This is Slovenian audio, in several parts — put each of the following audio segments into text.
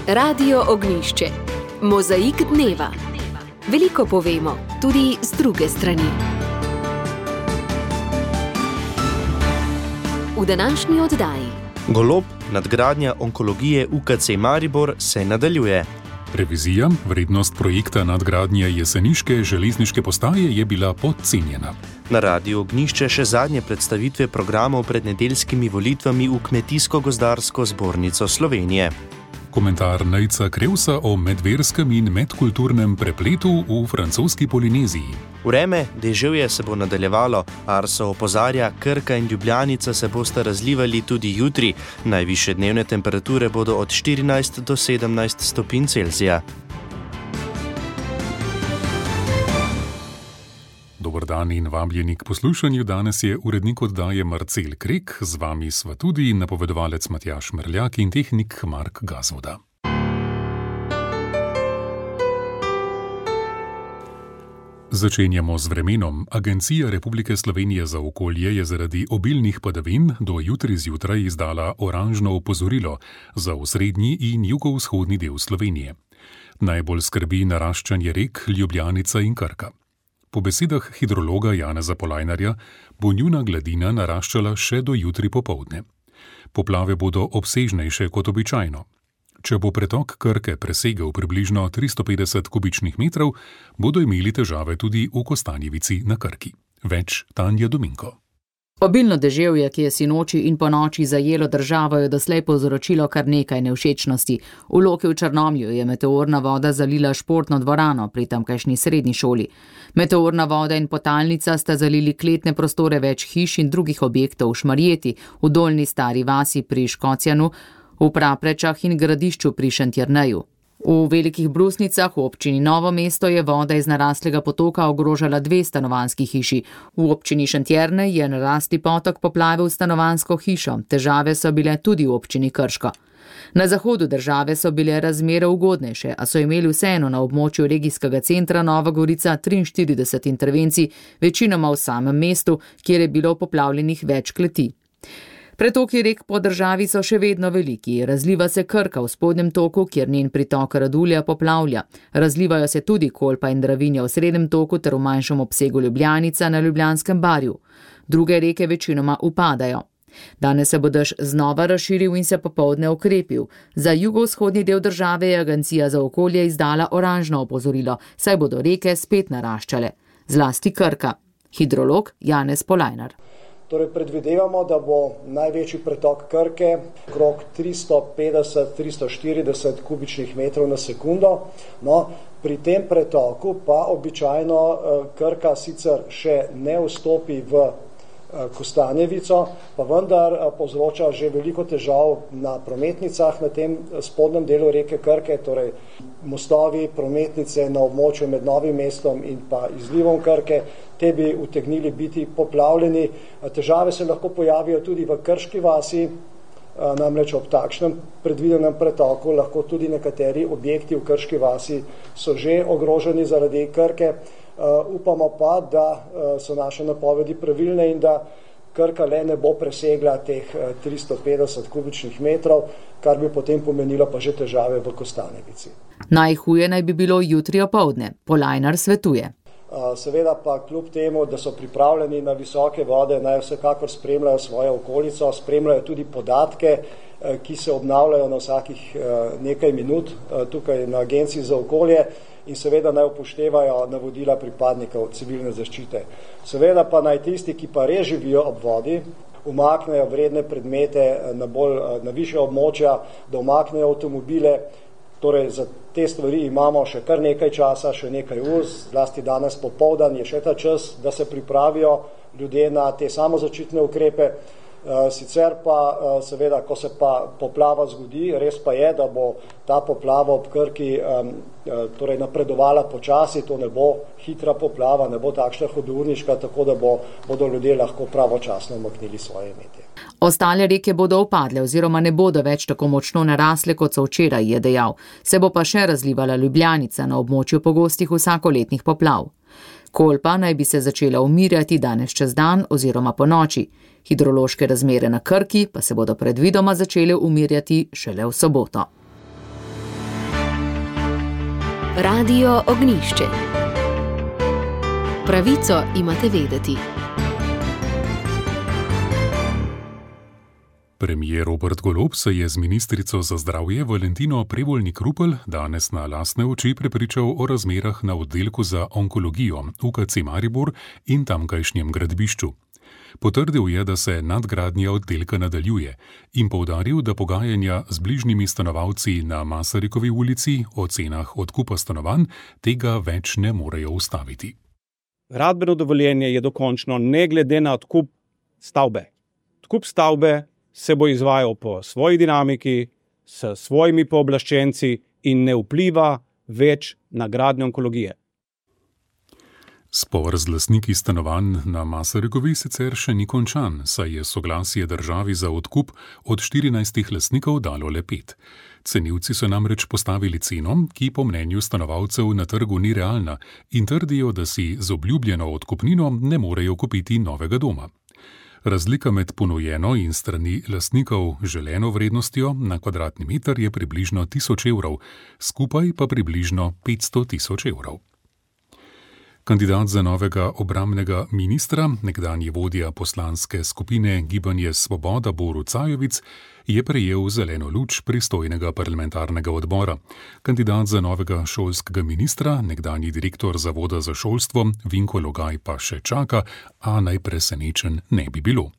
Radio Ognjišče. Mozaik dneva. Veliko povemo, tudi z druge strani. V današnji oddaji. Golob, nadgradnja onkologije UKC Maribor se nadaljuje. Revizija, vrednost projekta nadgradnje jeseniške železniške postaje je bila podcenjena. Na Radiu Ognjišče še zadnje predstavitve programov pred nedeljskimi volitvami v Kmetijsko-gozdarsko zbornico Slovenije. Komentar Nejca Krevsa o medverskem in medkulturnem prepletu v francoski Polineziji. Vreme, deževje se bo nadaljevalo, Arso opozarja, Krka in Ljubljanica se bosta razlivali tudi jutri. Najvišje dnevne temperature bodo od 14 do 17 stopinj Celzija. Dober dan in vabljeni k poslušanju. Danes je urednik oddaje Marcel Krek, z vami sva tudi napovedovalec Matjaž Merljak in tehnik Mark Gazvoda. Začenjamo z vremenom. Agencija Republike Slovenije za okolje je zaradi obilnih padavin do jutri zjutraj izdala oranžno opozorilo za osrednji in jugovzhodni del Slovenije. Najbolj skrbi naraščanje rek Ljubljanica in Krka. Po besedah hidrologa Janeza Polajnarja bo njuna gladina naraščala še do jutri popoldne. Poplave bodo obsežnejše kot običajno. Če bo pretok Krke presegel približno 350 kubičnih metrov, bodo imeli težave tudi v Kostanjevici na Krki. Več Tanja Dominko. Obilno deževje, ki je sinoči in ponoči zajelo državo, je doslej povzročilo kar nekaj nevšečnosti. V Loki v Črnomlju je meteorna voda zalila športno dvorano pri tamkajšnji srednji šoli. Meteorna voda in potalnica sta zalili kletne prostore več hiš in drugih objektov v Šmarjeti, v Dolnji Stari vasi pri Škocjanu, v Praprečah in Gradišču pri Šentjerneju. V Velikih Brusnicah v občini Novo mesto je voda iz naraslega potoka ogrožala 2 stanovanjski hiši. V občini Šentjernej je narasli potok poplavil stanovanjsko hišo. Težave so bile tudi v občini Krško. Na zahodu države so bile razmere ugodnejše, a so imeli vseeno na območju regijskega centra Nova Gorica 43 intervencij, večinoma v samem mestu, kjer je bilo poplavljenih več kleti. Pretoki rek po državi so še vedno veliki. Razliva se Krka v spodnjem toku, kjer njen pritok Radulja poplavlja. Razlivajo se tudi Kolpa in Dravinja v srednjem toku ter v manjšem obsegu Ljubljanica na Ljubljanskem barju. Druge reke večinoma upadajo. Danes se bo dež znova razširil in se popoldne okrepil. Za jugovzhodni del države je Agencija za okolje izdala oranžno opozorilo, saj bodo reke spet naraščale. Zlasti Krka. Hidrolog Janez Polajnar. Torej predvidevamo, da bo največji pretok Krke okrog 350-340 kubičnih metrov na sekundo. No, pri tem pretoku pa običajno Krka sicer še ne vstopi v Kostanjevico, pa vendar povzroča že veliko težav na prometnicah na tem spodnjem delu reke Krke, torej mostovi, prometnice na območju med Novim mestom in pa izlivom Krke, te bi utegnili biti poplavljeni. Težave se lahko pojavijo tudi v Krški vasi, namreč ob takšnem predvidenem pretoku lahko tudi nekateri objekti v Krški vasi so že ogroženi zaradi Krke. Upamo pa, da so naše napovedi pravilne in da Krka le ne bo presegla teh 350 kubičnih metrov, kar bi potem pomenilo pa že težave v Kostanjevici. Najhuje naj bi bilo jutri opoldne. Polajnar svetuje. Seveda pa kljub temu, da so pripravljeni na visoke vode, naj vsekakor spremljajo svojo okolico, spremljajo tudi podatke, ki se obnavljajo na vsakih nekaj minut tukaj na Agenciji za okolje in seveda naj upoštevajo navodila pripadnikov civilne zaščite. Seveda pa naj tisti, ki pa res živijo ob vodi, umaknejo vredne predmete na višja območja, da umaknejo avtomobile. Torej, za te stvari imamo še kar nekaj časa, še nekaj ur, zlasti danes popoldan je še ta čas, da se pripravijo ljudje na te samozaščitne ukrepe. Sicer pa seveda, ko se pa poplava zgodi, res pa je, da bo ta poplava ob Krki torej napredovala počasi, to ne bo hitra poplava, ne bo takšna hudourniška, tako da bodo ljudje lahko pravočasno umaknili svoje imetje. Ostale reke bodo upadle oziroma ne bodo več tako močno narasle, kot so včeraj, je dejal. Se bo pa še razlivala Ljubljanica na območju pogostih vsakoletnih poplav. Kolpa naj bi se začela umirjati danes čez dan oziroma po noči. Hidrološke razmere na Krki pa se bodo predvidoma začele umirjati šele v soboto. Radio Ognjišče. Pravico imate vedeti. Premier Robert Golob se je z ministrico za zdravje Valentino Prevolnik-Rupel danes na lastne oči prepričal o razmerah na oddelku za onkologijo UKC Maribor in tamkajšnjem gradbišču. Potrdil je, da se nadgradnja oddelka nadaljuje in poudaril, da pogajanja z bližnjimi stanovalci na Masarikovi ulici o cenah odkupa stanovanj tega več ne morejo ustaviti. Gradbeno dovoljenje je dokončno ne glede na odkup stavbe. Odkup stavbe se bo izvajal po svoji dinamiki, s svojimi pooblaščenci in ne vpliva več na gradnjo onkologije. Spor z lastniki stanovanj na Masarikovi sicer še ni končan, saj je soglasje državi za odkup od 14 lastnikov dalo le 5. Cenilci so namreč postavili ceno, ki po mnenju stanovalcev na trgu ni realna in trdijo, da si z obljubljeno odkupnino ne morejo kupiti novega doma. Razlika med ponujeno in strani lastnikov želeno vrednostjo na kvadratni meter je približno 1000 evrov, skupaj pa približno 500 000 evrov. Kandidat za novega obrambnega ministra, nekdanji vodja poslanske skupine Gibanje Svoboda Borut Sajovic, je prejel zeleno luč pristojnega parlamentarnega odbora. Kandidat za novega šolskega ministra, nekdanji direktor Zavoda za šolstvo Vinko Logaj pa še čaka, a najpresenečen ne bi bilo.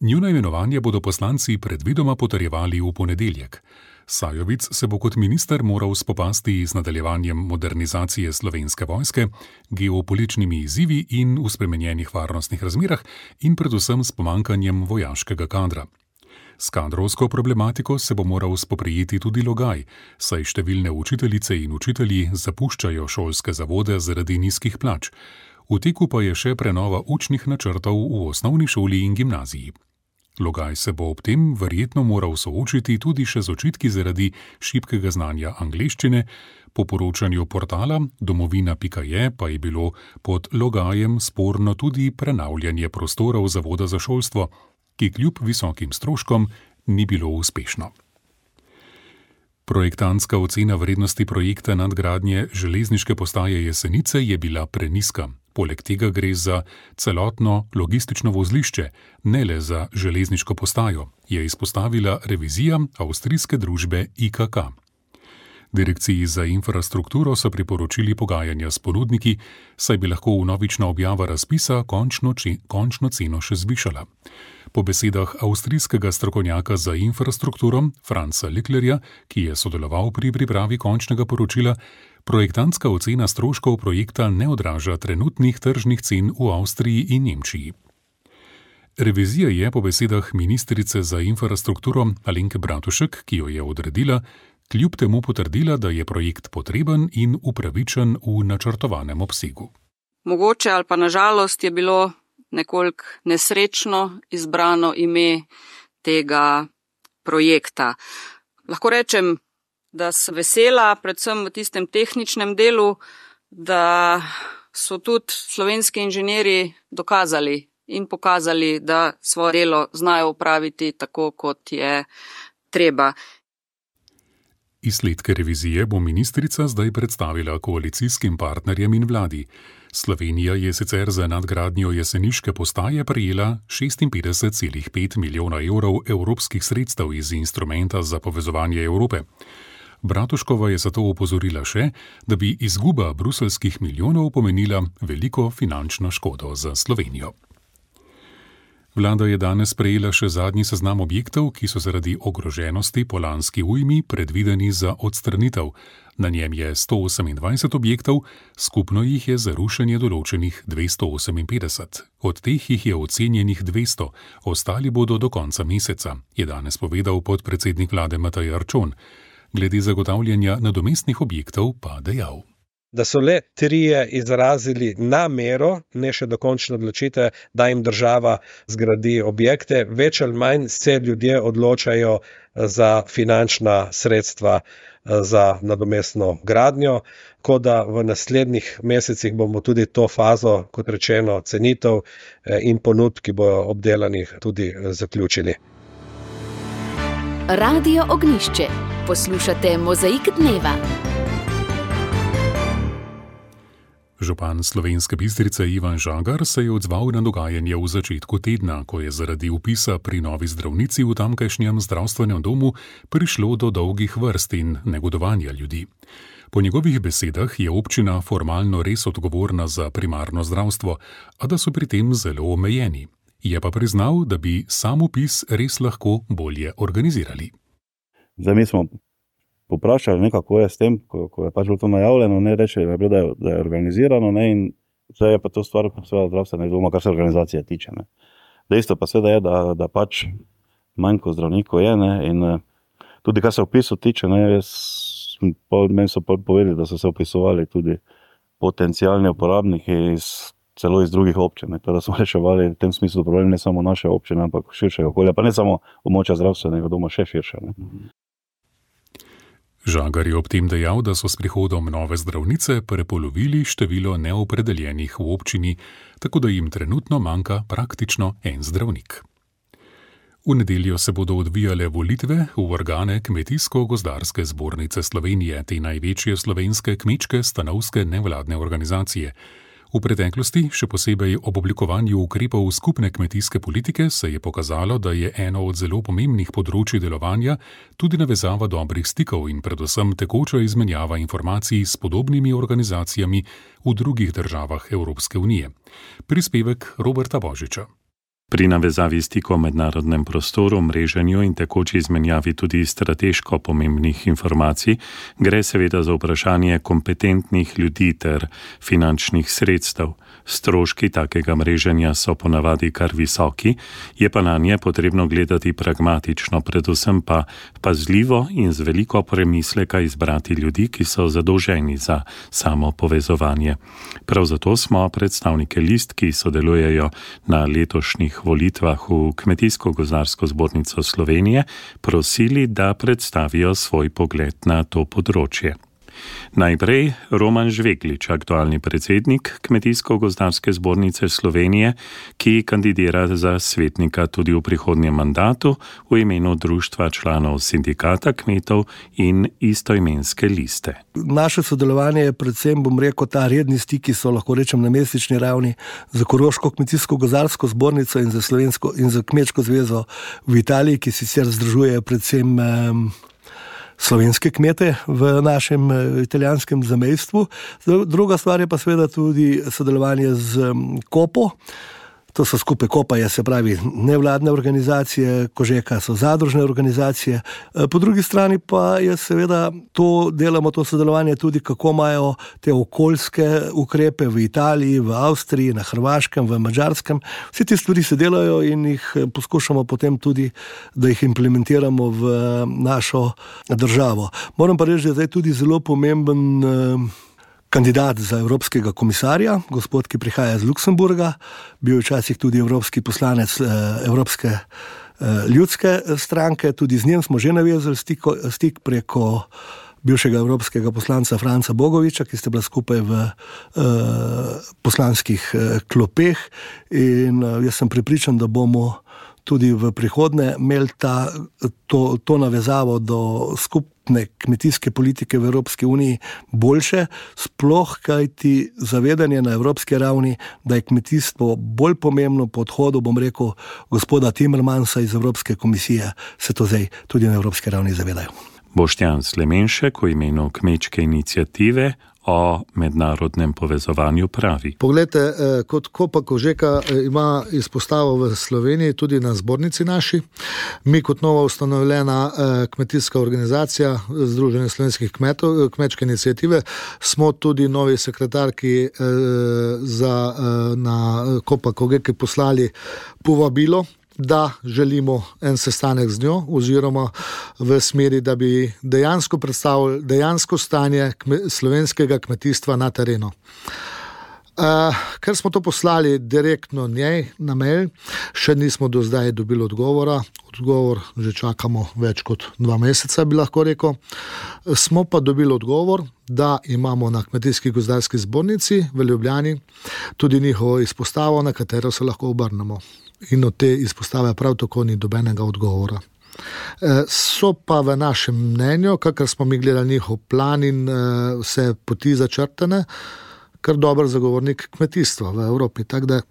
Njuno imenovanje bodo poslanci predvidoma potrjevali v ponedeljek. Sajovic se bo kot minister moral spopasti z nadaljevanjem modernizacije Slovenske vojske, geopolitičnimi izzivi in v spremenjenih varnostnih razmerah in predvsem s pomanjkanjem vojaškega kadra. S kadrovsko problematiko se bo moral spoprijeti tudi Logaj, saj številne učiteljice in učitelji zapuščajo šolske zavode zaradi nizkih plač. V teku pa je še prenova učnih načrtov v osnovni šoli in gimnaziji. Logaj se bo ob tem verjetno moral soočiti tudi še z očitki zaradi šibkega znanja angleščine. Po poročanju portala domovina.je pa je bilo pod Logajem sporno tudi prenavljanje prostorov Zavoda za šolstvo, ki kljub visokim stroškom ni bilo uspešno. Projektantska ocena vrednosti projekta nadgradnje železniške postaje Jesenice je bila prenizka. Poleg tega gre za celotno logistično vozlišče, ne le za železniško postajo, je izpostavila revizija avstrijske družbe IKK. Direkciji za infrastrukturo so priporočili pogajanja s ponudniki, saj bi lahko vnovična objava razpisa končno ceno še zvišala. Po besedah avstrijskega strokovnjaka za infrastrukturo Franca Liklerja, ki je sodeloval pri pripravi končnega poročila, projektantska ocena stroškov projekta ne odraža trenutnih tržnih cen v Avstriji in Nemčiji. Revizija je po besedah ministrice za infrastrukturo Alenke Bratušek, ki jo je odredila, kljub temu potrdila, da je projekt potreben in upravičen v načrtovanem obsegu. Mogoče ali pa na žalost je bilo nekoliko nesrečno izbrano ime tega projekta. Lahko rečem, da sem vesela, predvsem v tistem tehničnem delu, da so tudi slovenski inženirji dokazali in pokazali, da svoje delo znajo opraviti tako, kot je treba. Izsledke revizije bo ministrica zdaj predstavila koalicijskim partnerjem in vladi. Slovenija je sicer za nadgradnjo jeseniške postaje prejela 56,5 milijona evrov evropskih sredstev iz instrumenta za povezovanje Evrope. Bratuškova je zato opozorila še, da bi izguba bruseljskih milijonov pomenila veliko finančno škodo za Slovenijo. Vlada je danes prejela še zadnji seznam objektov, ki so zaradi ogroženosti po lanski ujmi predvideni za odstranitev. Na njem je 128 objektov, skupno jih je za rušenje določenih 258. Od teh jih je ocenjenih 200, ostali bodo do konca meseca, je danes povedal podpredsednik vlade Matej Arčon. Glede zagotavljanja nadomestnih objektov pa dejal. Da so le 3 izrazili namero, ne še dokončno odločitev, da jim država zgradi objekte. Več ali manj se ljudje odločajo za finančna sredstva za nadomestno gradnjo, tako da v naslednjih mesecih bomo tudi to fazo, kot rečeno, cenitev in ponudb, ki bojo obdelanih, tudi zaključili. Radio Ognjišče. Poslušate Mozaik dneva. Župan Slovenske Bistrice Ivan Žagar se je odzval na dogajanje v začetku tedna, ko je zaradi vpisa pri novi zdravnici v tamkajšnjem zdravstvenem domu prišlo do dolgih vrst in negodovanja ljudi. Po njegovih besedah je občina formalno res odgovorna za primarno zdravstvo, a da so pri tem zelo omejeni. Je pa priznal, da bi sam vpis res lahko bolje organizirali. Zdaj mi smo poprašali, kako je s tem, ko je pač bilo to najavljeno, reče, da je organizirano, in zdaj je pa to stvar zdravstvene doma, kar se organizacije tiče. Dejstvo pa seveda je, da pač manjko zdravnikov je, in tudi kar se vpisu tiče, meni so povedali, da so se vpisovali tudi potencialni uporabniki celo iz drugih občin, da smo reševali v tem smislu problem ne samo naše občine, ampak širšega okolja, pa ne samo območja zdravstvenega doma, še širše. Žagar je ob tem dejal, da so s prihodom nove zdravnice prepolovili število neopredeljenih v občini, tako da jim trenutno manjka praktično en zdravnik. V nedeljo se bodo odvijale volitve v organe Kmetijsko-gozdarske zbornice Slovenije, te največje slovenske kmečke stanovske nevladne organizacije. V preteklosti, še posebej ob oblikovanju ukrepov skupne kmetijske politike, se je pokazalo, da je eno od zelo pomembnih področij delovanja tudi navezava dobrih stikov in predvsem tekoča izmenjava informacij s podobnimi organizacijami v drugih državah Evropske unije. Prispevek Roberta Božiča. Pri navezavi stikov v mednarodnem prostoru, mreženju in tekoči izmenjavi tudi strateško pomembnih informacij gre seveda za vprašanje kompetentnih ljudi ter finančnih sredstev. Stroški takega mreženja so ponavadi kar visoki, je pa na nje potrebno gledati pragmatično, predvsem pa pazljivo in z veliko premisleka izbrati ljudi, ki so zadolženi za samo povezovanje. Prav zato smo predstavnike list, ki sodelujejo na letošnjih volitvah v Kmetijsko-gozdarsko zbornico Slovenije, prosili, da predstavijo svoj pogled na to področje. Najprej Roman Žveglič, aktualni predsednik Kmetijsko-gozdarske zbornice Slovenije, ki kandidira za svetnika tudi v prihodnjem mandatu v imenu Društva članov sindikata kmetov in istoimenske liste. Naše sodelovanje je predvsem, ta redni stiki so, lahko rečem, na mesečni ravni za Koroško Kmetijsko-gozdarsko zbornico in za Slovensko in za Kmečko zvezo v Italiji, ki sicer združuje predvsem slovenske kmete v našem italijanskem zamejstvu. Druga stvar je pa seveda tudi sodelovanje z Kopo. To so skupaj Kopa, se pravi nevladne organizacije, Kožeka so zadružne organizacije. Po drugi strani pa je seveda delamo to sodelovanje tudi, kako imajo te okoljske ukrepe v Italiji, v Avstriji, na Hrvaškem, v Madžarskem. Vsi te stvari se delajo in jih poskušamo potem tudi, da jih implementiramo v našo državo. Moram pa reči, da je zdaj tudi zelo pomemben kandidat za evropskega komisarja, gospod, ki prihaja iz Luksemburga, bil včasih tudi evropski poslanec Evropske ljudske stranke, tudi z njim smo že navezali stik preko bivšega evropskega poslanca Franca Bogoviča, ki ste bila skupaj v poslanskih klopeh, in jaz sem prepričan, da bomo tudi v prihodnje imeli to navezavo do skupne kmetijske politike v Evropski uniji boljše, sploh kajti zavedanje na evropski ravni, da je kmetijstvo bolj pomembno po odhodu, gospoda Timmermansa iz Evropske komisije, se to zdaj tudi na evropski ravni zavedajo. Boštjan Slemenšek v imenu Kmečke iniciative o mednarodnem povezovanju pravi. Poglejte, kot Kopa Kožeka ima izpostavo v Sloveniji, tudi na zbornici naši. Mi kot nova ustanovljena kmetijska organizacija Združenje slovenskih kmetov, Kmečke iniciative, smo tudi novi sekretarki na Kopa Kožeki poslali povabilo, da želimo en sestanek z njo, oziroma v smeri, da bi dejansko predstavili dejansko stanje slovenskega kmetijstva na terenu. Ker smo to poslali direktno njej na mail, še nismo do zdaj dobili odgovora. Odgovor že čakamo več kot 2 meseca, bi lahko rekel. Smo pa dobili odgovor, da imamo na Kmetijsko-gozdarski zbornici v Ljubljani tudi njihovo izpostavo, na katero se lahko obrnemo. In od te izpostave prav tako ni dobenega odgovora. So pa v našem mnenju, kakor smo mi gledali njihov plan in vse poti začrtane, kar dober zagovornik kmetijstva v Evropi. Tako da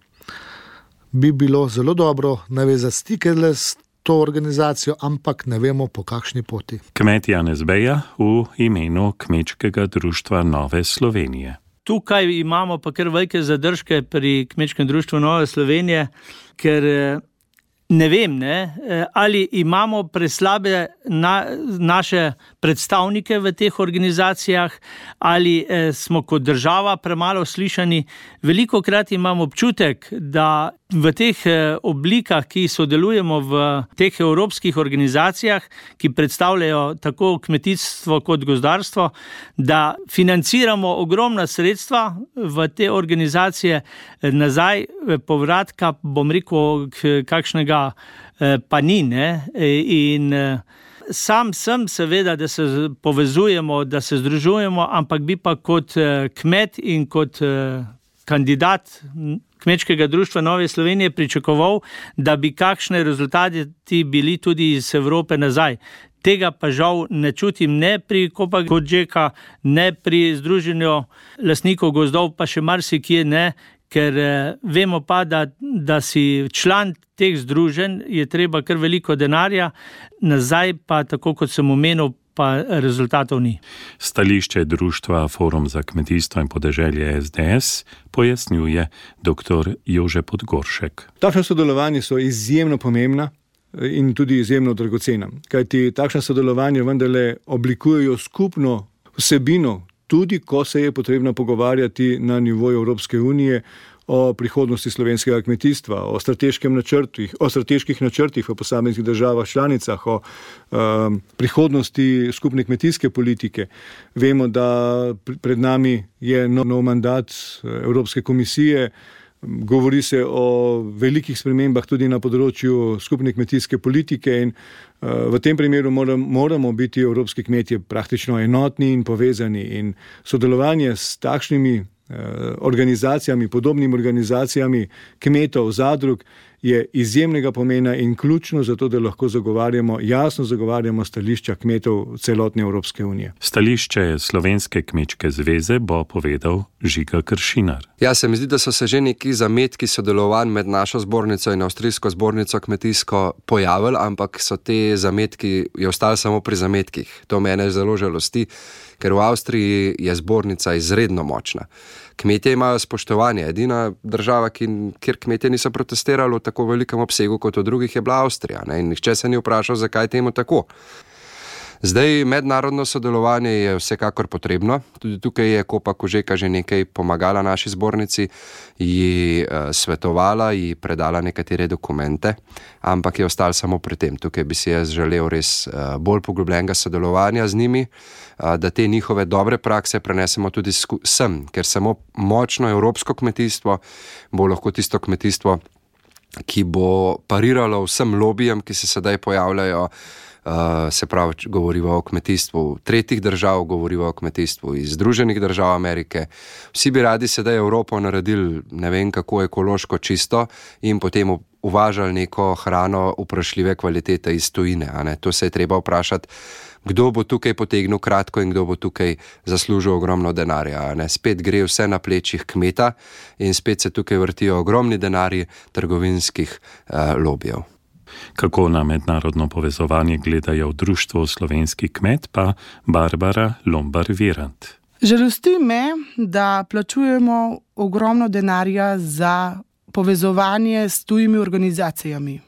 bi bilo zelo dobro navezati stike s to organizacijo, ampak ne vemo, po kakšni poti. Kmet Janez Beja v imenu Kmečkega društva Nove Slovenije. Tukaj imamo pa kar velike zadržke pri Kmečkem društvu Nove Slovenije, ker ne vem, ali imamo preslabe naše predstavnike v teh organizacijah, ali smo kot država premalo slišani. Velikokrat imam občutek, da v teh oblikah, ki sodelujemo v teh evropskih organizacijah, ki predstavljajo tako kmetijstvo kot gozdarstvo, da financiramo ogromna sredstva v te organizacije, nazaj povratka, bom rekel, kakšnega pa ni, in sam sem seveda, da se povezujemo, da se združujemo, ampak bi pa kot kmet in kot kandidat Kmečkega društva Nove Slovenije pričakoval, da bi kakšne rezultati bili tudi iz Evrope nazaj. Tega pa žal ne čutim ne pri Copa-Cogeca, ne pri Združenju lastnikov gozdov, pa še marsikje ne, ker vemo pa, da si član teh združenj je treba kar veliko denarja, nazaj pa, tako kot sem omenil, pa rezultatov ni. Stališče društva Forum za kmetijstvo in podeželje SDS pojasnjuje dr. Jože Podgoršek. Takšna sodelovanja so izjemno pomembna in tudi izjemno dragocena, kajti takšna sodelovanja vendarle oblikujejo skupno vsebino, tudi ko se je potrebno pogovarjati na nivoju Evropske unije o prihodnosti slovenskega kmetijstva, o strateških načrtih v posameznih državah članicah, o prihodnosti skupne kmetijske politike. Vemo, da pred nami je nov mandat Evropske komisije, govori se o velikih spremembah tudi na področju skupne kmetijske politike in v tem primeru moramo biti evropski kmetje praktično enotni in povezani, in sodelovanje s takšnimi organizacijami, podobnimi organizacijami kmetov, zadrug je izjemnega pomena in ključno za to, da lahko jasno zagovarjamo stališča kmetov celotne Evropske unije. Stališče Slovenske kmečke zveze bo povedal Žiga Kršinar. Ja, se mi zdi, da so se že neki zametki sodelovanj med našo zbornico in avstrijsko zbornico kmetijsko pojavili, ampak so te zametki ostali samo pri zametkih. To mene zelo žalosti, ker v Avstriji je zbornica izredno močna. Kmetje imajo spoštovanje. Edina država, kjer kmetje niso protestirali v tako velikem obsegu kot v drugih, je bila Avstrija. In nihče se ni vprašal, zakaj temu tako. Zdaj, mednarodno sodelovanje je vsekakor potrebno. Tudi tukaj je Copa-Cogeca že nekaj pomagala naši zbornici, ji svetovala, ji predala nekatere dokumente, ampak je ostalo samo pri tem. Tukaj bi si jaz želel res bolj poglobljenega sodelovanja z njimi, da te njihove dobre prakse prenesemo tudi sem, ker samo močno evropsko kmetijstvo bo lahko tisto kmetijstvo, ki bo pariralo vsem lobijem, ki se sedaj pojavljajo. Se pravi, govorimo o kmetijstvu tretjih držav, govorimo o kmetijstvu iz Združenih držav Amerike. Vsi bi radi sedaj Evropo naredili ne vem kako ekološko čisto in potem uvažali neko hrano vprašljive kvalitete iz tujine. To se je treba vprašati, kdo bo tukaj potegnil kratko in kdo bo tukaj zaslužil ogromno denarja. Spet gre vse na plečih kmeta in spet se tukaj vrtijo ogromni denarji trgovinskih lobijev. Kako na mednarodno povezovanje gledajo v društvu Slovenski kmet, pa Barbara Lombar-Virant. Žalosti me, da plačujemo ogromno denarja za povezovanje s tujimi organizacijami.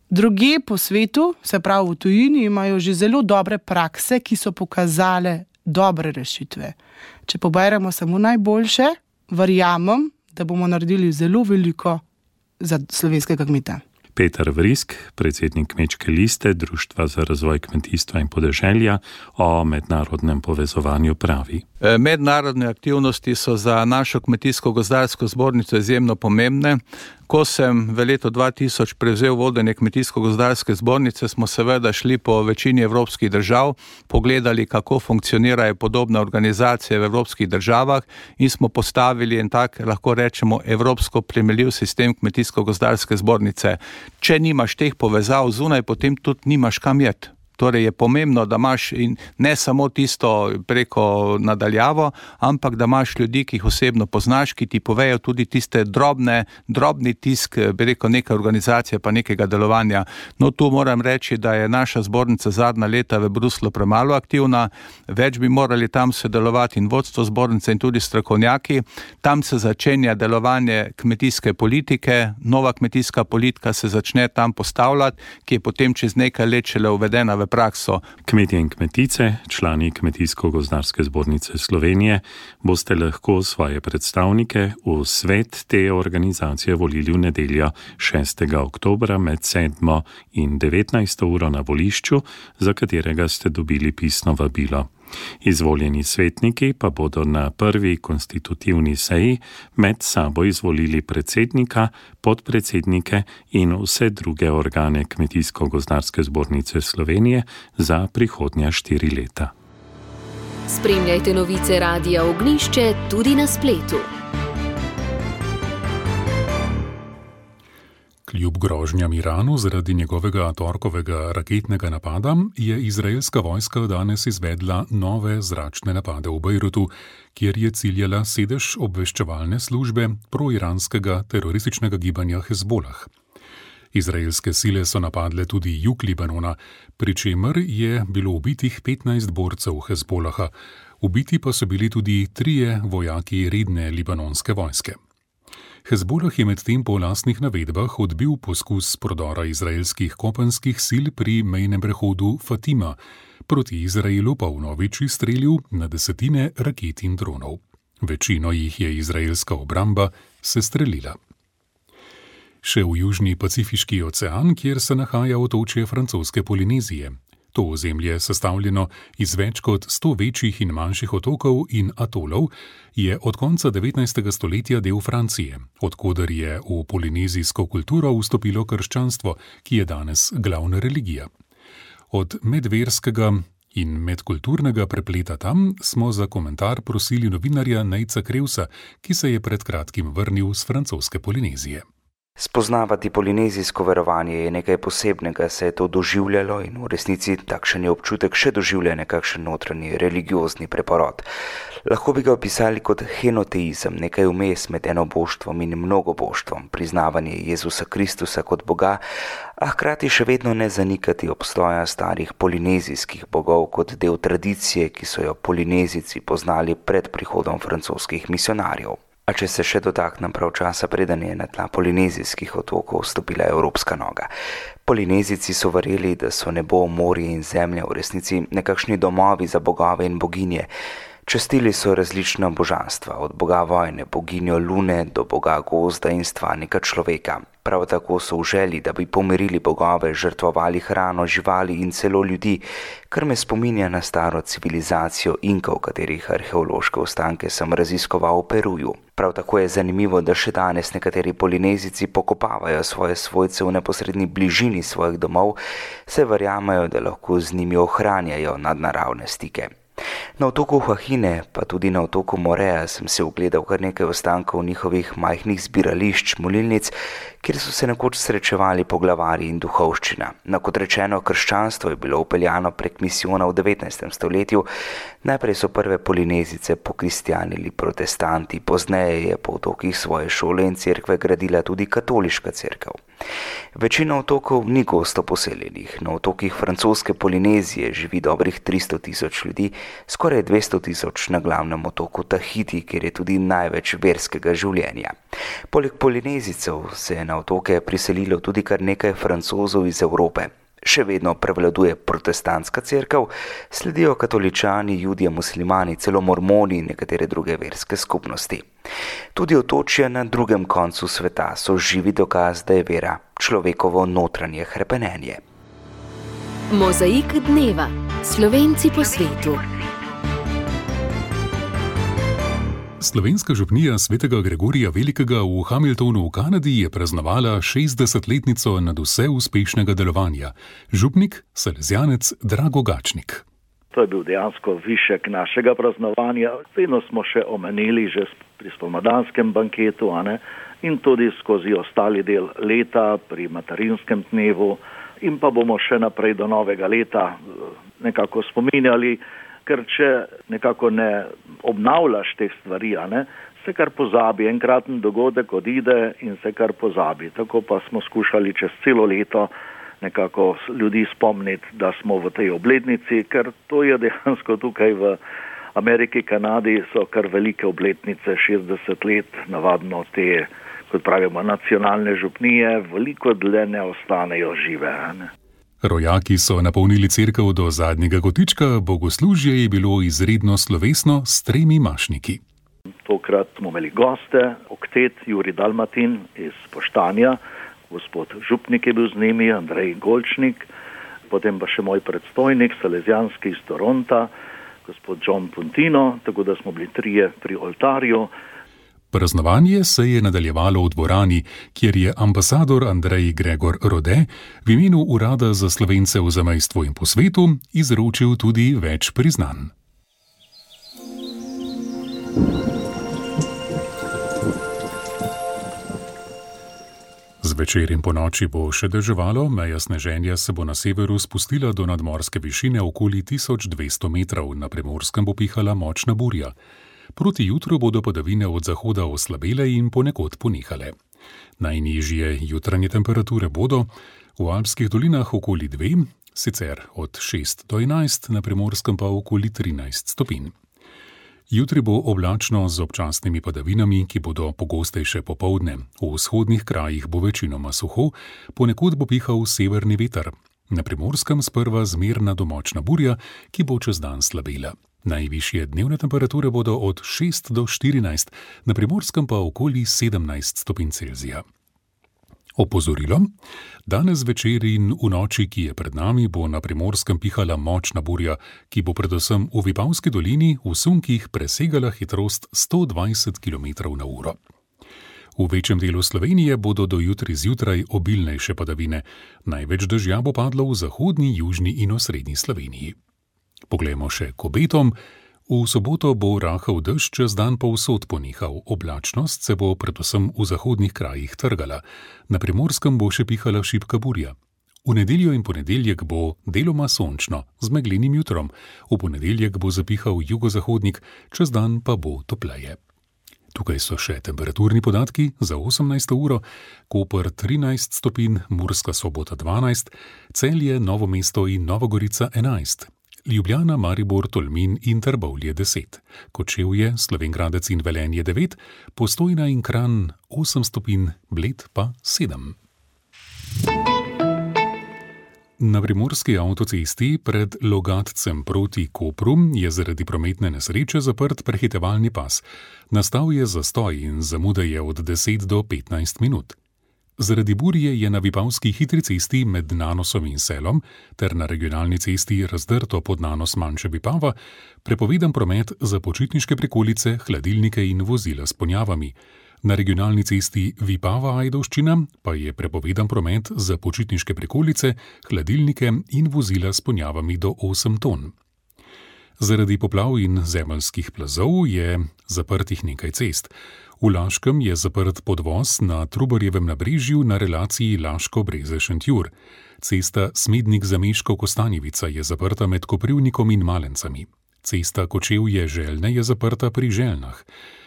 Druge po svetu, se pravi v tujini, imajo že zelo dobre prakse, ki so pokazale dobre rešitve. Če poberemo samo najboljše, verjamem, da bomo naredili zelo veliko za slovenskega kmeta. Peter Vrisk, predsednik Kmečke liste Društva za razvoj kmetijstva in podeželja, o mednarodnem povezovanju pravi. Mednarodne aktivnosti so za našo kmetijsko-gozdarsko zbornico izjemno pomembne. Ko sem v letu 2000 prevzel vodenje kmetijsko-gozdarske zbornice, smo seveda šli po večini evropskih držav, pogledali, kako funkcionirajo podobne organizacije v evropskih državah in smo postavili en tak, lahko rečemo, evropsko primerljiv sistem kmetijsko-gozdarske zbornice. Če nimaš teh povezav zunaj, potem tudi nimaš kam jet. Torej je pomembno, da imaš ne samo tisto preko nadaljavo, ampak da imaš ljudi, ki jih osebno poznaš, ki ti povejo tudi tiste drobni tisk, neke organizacije pa nekega delovanja. No, tu moram reči, da je naša zbornica zadnja leta v Bruslu premalo aktivna, več bi morali tam sodelovati in vodstvo zbornice in tudi strokovnjaki. Tam se začenja delovanje kmetijske politike, nova kmetijska politika se začne tam postavljati, ki je potem čez nekaj let šele uvedena v prakso. Kmetje in kmetice, člani Kmetijsko-gozdarske zbornice Slovenije, boste lahko svoje predstavnike v svet te organizacije volili v nedeljo 6. oktobra med 7. in 19. uro na volišču, za katerega ste dobili pisno vabilo. Izvoljeni svetniki pa bodo na prvi konstitutivni seji med sabo izvolili predsednika, podpredsednike in vse druge organe Kmetijsko-gozdarske zbornice Slovenije za prihodnja 4 leta. Spremljajte novice Radia Ognjišče tudi na spletu. Kljub grožnjam Iranu zaradi njegovega torkovega raketnega napada je izraelska vojska danes izvedla nove zračne napade v Bejrutu, kjer je ciljala sedež obveščevalne službe proiranskega terorističnega gibanja Hezbolah. Izraelske sile so napadle tudi jug Libanona, pri čemer je bilo ubitih 15 borcev Hezbolaha. Ubiti pa so bili tudi 3 vojaki redne libanonske vojske. Hezbolah je medtem po lastnih navedbah odbil poskus prodora izraelskih kopenskih sil pri mejnem prehodu Fatima, proti Izraelu pa vnovič izstrelil na desetine raket in dronov. Večino jih je izraelska obramba sestrelila. Še v južni Pacifiški ocean, kjer se nahaja otočje francoske Polinezije. To ozemlje je sestavljeno iz več kot 100 večjih in manjših otokov in atolov, je od konca 19. stoletja del Francije, odkoder je v polinezijsko kulturo vstopilo krščanstvo, ki je danes glavna religija. Od medverskega in medkulturnega prepleta tam smo za komentar prosili novinarja Nejca Krevsa, ki se je pred kratkim vrnil z francoske Polinezije. Spoznavati polinezijsko verovanje je nekaj posebnega, se je to doživljalo in v resnici takšen je občutek še doživlja nekakšen notranji religiozni preporod. Lahko bi ga opisali kot henoteizem, nekaj vmes med enoboštvom in mnogoboštvom, priznavanje Jezusa Kristusa kot Boga, a hkrati še vedno ne zanikati obstoja starih polinezijskih bogov kot del tradicije, ki so jo Polinezici poznali pred prihodom francoskih misionarjev. A če se še dotaknem prav časa, preden je na tla polinezijskih otokov stopila evropska noga. Polinezici so verjeli, da so nebo, morje in zemlja v resnici nekakšni domovi za bogove in boginje. Častili so različna božanstva, od boga vojne, boginjo lune do boga gozda in stvarnika človeka. Prav tako so v želji, da bi pomirili bogove, žrtvovali hrano, živali in celo ljudi, kar me spominja na staro civilizacijo Inkov, katerih arheološke ostanke sem raziskoval v Peruju. Prav tako je zanimivo, da še danes nekateri Polinezici pokopavajo svoje svojce v neposredni bližini svojih domov, saj verjamejo, da lahko z njimi ohranjajo nadnaravne stike. Na otoku Huahine, pa tudi na otoku Morea sem se ogledal kar nekaj ostankov njihovih majhnih zbirališč, molilnic, kjer so se nekoč srečevali poglavarji in duhovščina. No, kot rečeno, krščanstvo je bilo upeljano prek misijona v 19. stoletju. Najprej so prve Polinezice pokristjanili protestanti, pozneje je po otokih svoje šole in cerkve gradila tudi katoliška cerkev. Večina otokov ni gosto poseljenih. Na otokih francoske Polinezije živi dobrih 300 000 ljudi, skoraj 200 000 na glavnem otoku Tahiti, kjer je tudi največ verskega življenja. Poleg Polinezicev se je na otoke priselilo tudi kar nekaj Francozov iz Evrope. Še vedno prevladuje protestantska cerkev, sledijo katoličani, judje, muslimani, celo mormoni in nekatere druge verske skupnosti. Tudi otočja na drugem koncu sveta so živi dokaz, da je vera človekovo notranje hrepenenje. Mozaik dneva. Slovenci po svetu. Slovenska župnija svetega Gregorija Velikega v Hamiltonu v Kanadi je praznovala 60-letnico nadvse uspešnega delovanja. Župnik, salezjanec Drago Gačnik. To je bil dejansko višek našega praznovanja. Vedno smo še omenili že pri spomladanskem banketu, in tudi skozi ostali del leta pri materinskem dnevu in pa bomo še naprej do novega leta nekako spominjali, ker če nekako ne obnavljaš teh stvari, se kar pozabi, enkraten dogodek odide in se kar pozabi. Tako pa smo skušali čez celo leto nekako ljudi spomniti, da smo v tej obletnici, ker to je dejansko tukaj v Ameriki, Kanadi so kar velike obletnice, 60 let, navadno te, kot pravimo, nacionalne župnije, veliko dlje ne ostanejo žive. Rojaki so napolnili cerkev do zadnjega kotička, bogoslužje je bilo izredno slovesno s 3 mašniki. Tokrat smo imeli goste, oktet Jurij Dalmatin iz Poštanja, gospod župnik je bil z njimi, Andrej Golčnik, potem pa še moj predstojnik, Salezjanski iz Toronta, gospod John Puntino, tako da smo bili 3 pri oltarju. Praznovanje se je nadaljevalo v dvorani, kjer je ambasador Andrej Gregor Rode v imenu Urada za Slovence v zamejstvu in po svetu izročil tudi več priznanj. Zvečer in ponoči bo še deževalo, meja sneženja se bo na severu spustila do nadmorske višine okoli 1200 metrov, na Primorskem bo pihala močna burja. Proti jutru bodo padavine od zahoda oslabele in ponekod ponehale. Najnižje jutranje temperature bodo v Alpskih dolinah okoli 2, sicer od 6 do 11, na Primorskem pa okoli 13 stopinj. Jutri bo oblačno z občasnimi padavinami, ki bodo pogostejše popoldne. V vzhodnih krajih bo večinoma suho, ponekod bo pihal severni veter. Na Primorskem sprva zmerna do močna burja, ki bo čez dan slabela. Najvišje dnevne temperature bodo od 6 do 14, na Primorskem pa okoli 17 stopinj Celzija. Opozorilo: danes večer in v noči, ki je pred nami, bo na Primorskem pihala močna burja, ki bo predvsem v Vipavski dolini v sunkih presegala hitrost 120 km/h. V večjem delu Slovenije bodo do jutri zjutraj obilnejše padavine. Največ dežja bo padlo v zahodni, južni in osrednji Sloveniji. Poglejmo še k obetom. V soboto bo rahel dež, čez dan povsod ponehal. Oblačnost se bo predvsem v zahodnih krajih trgala. Na Primorskem bo še pihala šibka burja. V nedeljo in ponedeljek bo deloma sončno, z meglenim jutrom. V ponedeljek bo zapihal jugozahodnik, čez dan pa bo topleje. Tukaj so še temperaturni podatki za 18. uro. Koper 13 stopinj, Murska Sobota 12, Celje, Novo mesto in Nova Gorica 11. Ljubljana, Maribor, Tolmin in Trbovlje 10, Kočevje, Slovenj Gradec in Velenje 9, Postojna in Kranj 8 stopinj, Bled pa 7. Na primorski avtocesti pred Logatcem proti Kopru je zaradi prometne nesreče zaprt prehitevalni pas. Nastal je zastoj in zamuda je od 10 do 15 minut. Zaradi burje je na Vipavski hitri cesti med Nanosom in Selom ter na regionalni cesti Razdrto pod Nanos manjše Vipava prepovedan promet za počitniške prikolice, hladilnike in vozila s ponjavami. Na regionalni cesti Vipava-Ajdovščina pa je prepovedan promet za počitniške prikolice, hladilnike in vozila s ponjavami do 8 ton. Zaradi poplav in zemeljskih plazov je zaprtih nekaj cest. V Laškem je zaprt podvoz na Trubarjevem nabrežju na relaciji Laško-Breze-Šentjur. Cesta Smednik-Zameško-Kostanjevica je zaprta med Koprivnikom in Malencami. Cesta Kočevje-Željne je zaprta pri Željnah.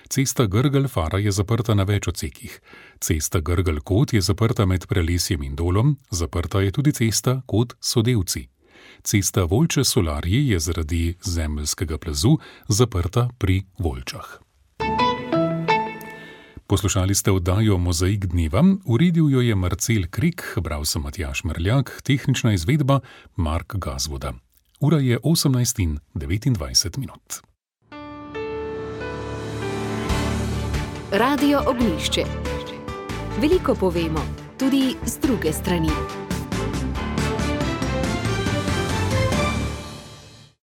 Cesta Grgelj-Fara je zaprta na več odsekih. Cesta Grgelj-Kot je zaprta med Prelesjem in Dolom, zaprta je tudi cesta Kot-Sodevci. Cesta Volče-Solarje je zaradi zemeljskega plazu zaprta pri Volčah. Poslušali ste oddajo Mozaik dneva, uredil jo je Marcel Krik, bral sem Matjaž Mrljak, tehnična izvedba Mark Gazvoda. Ura je 18:29. Radio Ognjišče. Veliko povemo, tudi z druge strani.